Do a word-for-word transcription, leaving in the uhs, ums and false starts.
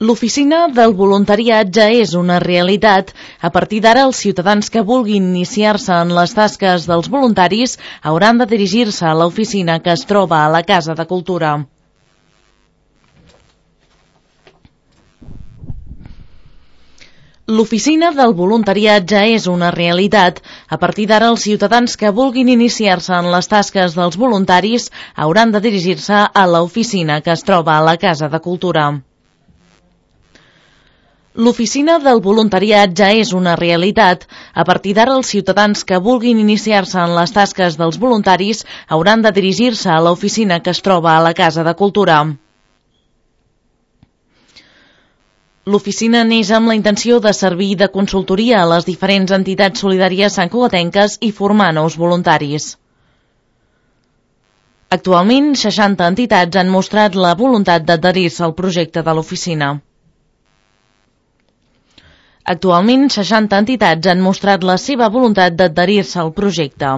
L'oficina del voluntariat ja és una realitat. A partir d'ara, els ciutadans que vulguin iniciar-se en les tasques dels voluntaris hauran de dirigir-se a l'oficina que es troba a la Casa de Cultura. L'oficina del voluntariat ja és una realitat. A partir d'ara, els ciutadans que vulguin iniciar-se en les tasques dels voluntaris hauran de dirigir-se a l'oficina que es troba a la Casa de Cultura. L'oficina del voluntariat ja és una realitat. A partir d'ara, els ciutadans que vulguin iniciar-se en les tasques dels voluntaris hauran de dirigir-se a l'oficina que es troba a la Casa de Cultura. L'oficina neix amb la intenció de servir de consultoria a les diferents entitats solidàries santcugatenques i formar nous voluntaris. Actualment, seixanta entitats han mostrat la voluntat d'adherir-se al projecte de l'oficina. Actualment, seixanta entitats han mostrat la seva voluntat d'adherir-se al projecte.